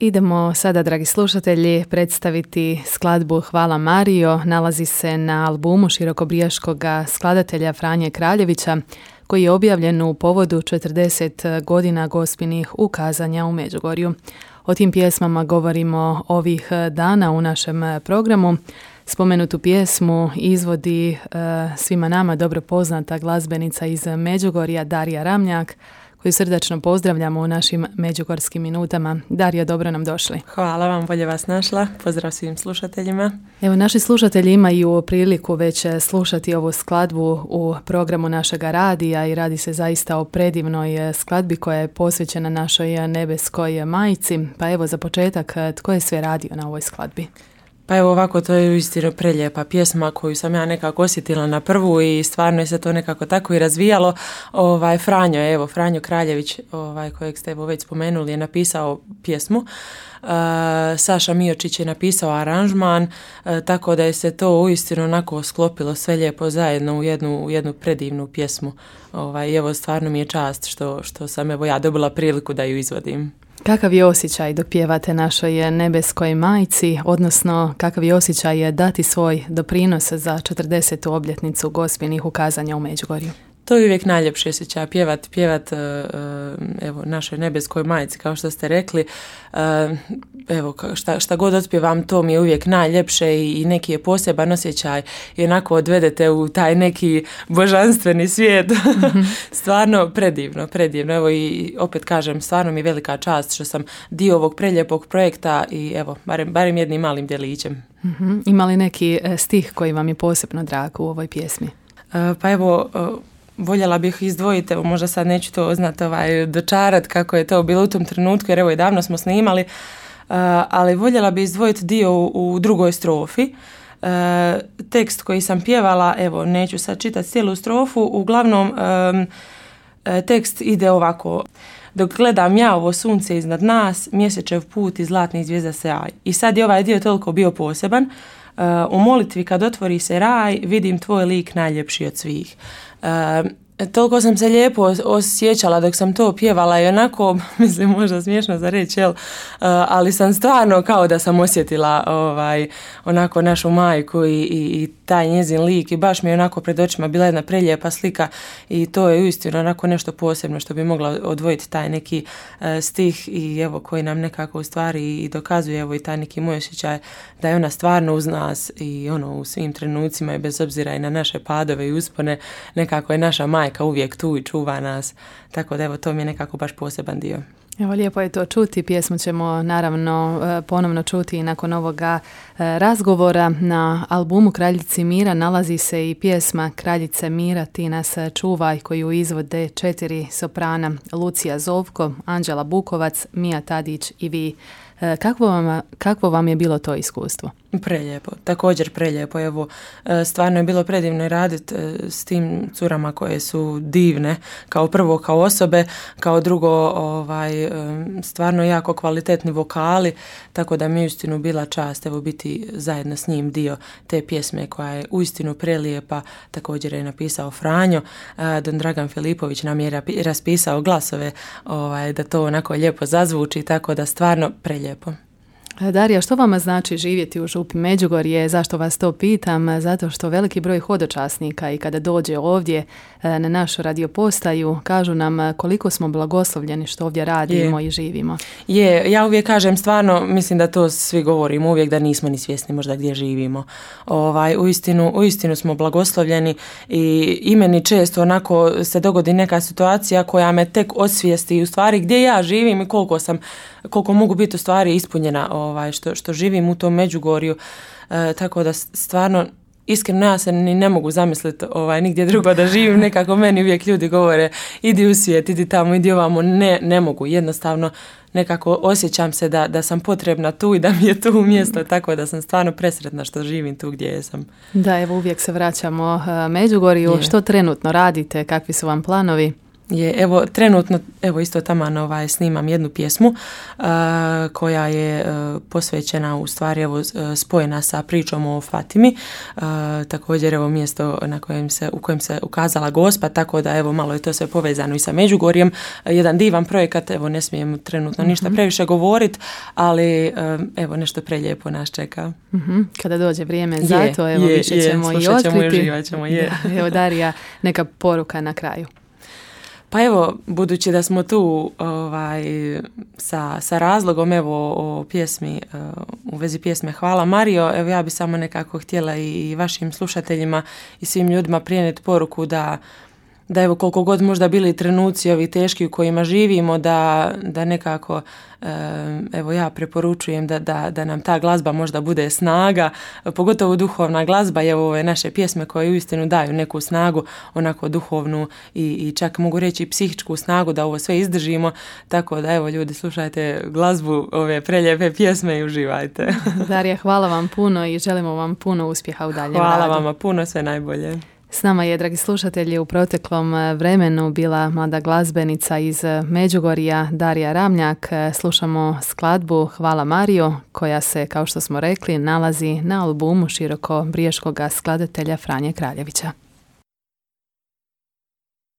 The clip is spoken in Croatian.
Idemo sada, dragi slušatelji, predstaviti skladbu Hvala Marijo. Nalazi se na albumu širokobrijaškog skladatelja Franje Kraljevića, koji je objavljen u povodu 40 godina gospinih ukazanja u Međugorju. O tim pjesmama govorimo ovih dana u našem programu. Spomenutu pjesmu izvodi svima nama dobro poznata glazbenica iz Međugorja Darija Ramljak, koju srdačno pozdravljamo u našim međugorskim minutama. Darija, dobro nam došli. Hvala vam, bolje vas našla. Pozdrav svim slušateljima. Evo, naši slušatelji imaju priliku već slušati ovu skladbu u programu našega radija i radi se zaista o predivnoj skladbi koja je posvećena našoj nebeskoj majci. Pa evo, za početak, tko je sve radio na ovoj skladbi? Pa evo ovako, to je uistinu prelijepa pjesma koju sam ja nekako osjetila na prvu i stvarno je se to nekako tako i razvijalo. Franjo Kraljević, kojeg ste evo već spomenuli, je napisao pjesmu. Saša Miočić je napisao aranžman, tako da je se to uistinu onako sklopilo sve lijepo zajedno u jednu predivnu pjesmu. Evo, stvarno mi je čast što sam evo ja dobila priliku da ju izvodim. Kakav je osjećaj dok pjevate našoj nebeskoj majci, odnosno kakav je osjećaj dati svoj doprinos za 40. obljetnicu gospinih ukazanja u Međugorju? To je uvijek najljepše osjećaj, pjevat evo, našoj nebeskoj majci, kao što ste rekli. Evo, šta god otpjevam, to mi je uvijek najljepše i neki je poseban osjećaj i onako odvedete u taj neki božanstveni svijet. Stvarno predivno. Evo, i opet kažem, stvarno mi je velika čast što sam dio ovog prelijepog projekta i evo, barem jednim malim djelićem. Ima li neki stih koji vam je posebno drag u ovoj pjesmi? Pa evo, voljela bih izdvojiti, evo možda sad neću to dočarat kako je to bilo u tom trenutku, jer evo i davno smo snimali, ali voljela bih izdvojiti dio u drugoj strofi. Tekst koji sam pjevala, evo neću sad čitati cijelu strofu, uglavnom tekst ide ovako. Dok gledam ja ovo sunce iznad nas, mjesečev put i zlatnih zvijezda sjaj. I sad je ovaj dio toliko bio poseban. U molitvi kad otvori se raj, vidim tvoj lik najljepši od svih. Toliko sam se lijepo osjećala dok sam to pjevala i onako, mislim možda smiješno za reći, ali sam stvarno kao da sam osjetila onako našu majku i taj njezin lik i baš mi je onako pred očima bila jedna prelijepa slika i to je uistinu onako nešto posebno što bi mogla odvojiti taj neki stih i evo koji nam nekako u stvari i dokazuje evo i taj neki moj osjećaj da je ona stvarno uz nas i ono u svim trenucima i bez obzira i na naše padove i uspone nekako je naša majka uvijek tu i čuva nas, tako da evo to mi je nekako baš poseban dio. Evo, lijepo je to čuti, pjesmu ćemo naravno ponovno čuti i nakon ovoga razgovora. Na albumu Kraljici mira nalazi se i pjesma Kraljice mira ti nas čuvaj, koju izvode 4 soprana, Lucija Zovko, Anđela Bukovac, Mija Tadić i vi. Kakvo vam je bilo to iskustvo? Prelijepo, također prelijepo. Evo, stvarno je bilo predivno raditi s tim curama koje su divne, kao prvo kao osobe, kao drugo stvarno jako kvalitetni vokali, tako da mi je uistinu bila čast evo biti zajedno s njim dio te pjesme koja je uistinu prelijepa. Također je napisao Franjo, Don Dragan Filipović nam je raspisao glasove da to onako lijepo zazvuči, tako da stvarno prelijepo. Darija, što vama znači živjeti u župi Međugorje? Zašto vas to pitam? Zato što veliki broj hodočasnika i kada dođe ovdje na našu radiopostaju kažu nam koliko smo blagoslovljeni što ovdje radimo i živimo. Ja uvijek kažem, stvarno mislim da to svi govorimo uvijek, da nismo ni svjesni možda gdje živimo. Uistinu smo blagoslovljeni i meni često onako se dogodi neka situacija koja me tek osvijesti u stvari gdje ja živim i koliko mogu biti u stvari ispunjena što živim u tom Međugorju, tako da stvarno iskreno ja se ni ne mogu zamisliti nigdje drugo da živim, nekako meni uvijek ljudi govore idi u svijet, idi tamo, idi ovamo, ne mogu, jednostavno nekako osjećam se da sam potrebna tu i da mi je tu mjesto, tako da sam stvarno presretna što živim tu gdje sam. Da, evo uvijek se vraćamo Međugorju. Što trenutno radite, kakvi su vam planovi? evo trenutno isto taman snimam jednu pjesmu koja je posvećena, u stvari spojena sa pričom o Fatimi, također mjesto u kojem se ukazala Gospa, tako da malo je to sve povezano i sa Međugorjem. Jedan divan projekat, ne smijem trenutno ništa previše govoriti, ali nešto prelijepo nas čeka. Kada dođe vrijeme za to, više ćemo i otkriti. Uživat ćemo, Evo, Darija, neka poruka na kraju. Pa budući da smo tu sa razlogom o pjesmi, u vezi pjesme Hvala Marijo, ja bi samo nekako htjela i vašim slušateljima i svim ljudima prenijeti poruku da koliko god možda bili trenuci ovi teški u kojima živimo, da nekako ja preporučujem da nam ta glazba možda bude snaga, pogotovo duhovna glazba, ove naše pjesme koje uistinu daju neku snagu, onako duhovnu i čak mogu reći psihičku snagu da ovo sve izdržimo, tako da ljudi slušajte glazbu, ove prelijepe pjesme i uživajte. Darija, hvala vam puno i želimo vam puno uspjeha u daljem radu. Hvala vama puno, sve najbolje. S nama je, dragi slušatelji, u proteklom vremenu bila mlada glazbenica iz Međugorja, Darija Ramljak. Slušamo skladbu Hvala Marijo, koja se, kao što smo rekli, nalazi na albumu širokobriješkog skladatelja Franje Kraljevića.